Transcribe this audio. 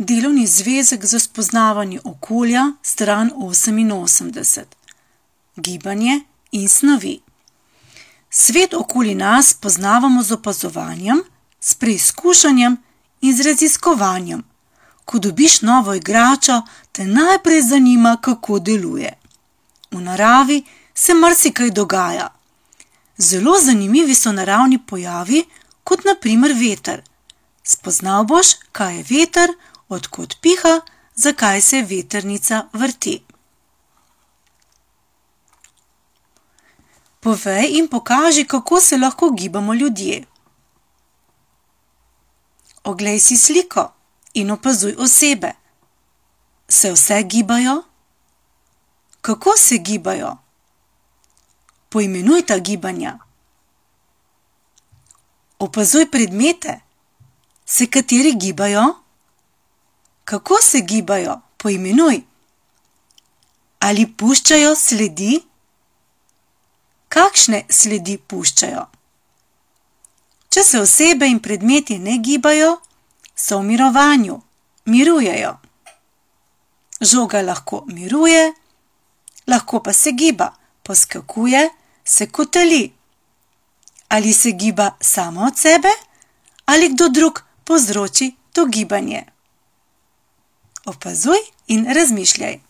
Delovni zvezek za spoznavanje okolja, stran 88. Gibanje in snovi. Svet okoli nas poznavamo z opazovanjem, s preizkušanjem in z raziskovanjem. Ko dobiš novo igračo, te najprej zanima, kako deluje. V naravi se marsikaj dogaja. Zelo zanimivi so naravni pojavi, kot na primer veter. Spoznal boš, kaj je veter, od kod piha, zakaj se vetrnica vrti. Povej in pokaži, kako se lahko gibamo ljudje. Oglej si sliko in opazuj osebe. Se vse gibajo? Kako se gibajo? Poimenuj ta gibanja. Opazuj predmete. Se kateri gibajo? Kako se gibajo? Poimenuj. Ali puščajo sledi? Kakšne sledi puščajo? Če se osebe in predmeti ne gibajo, so v mirovanju, mirujejo. Žoga lahko miruje, lahko pa se giba, poskakuje, se kotali. Ali se giba samo od sebe, ali kdo drug povzroči to gibanje. Opazuj in razmišljaj.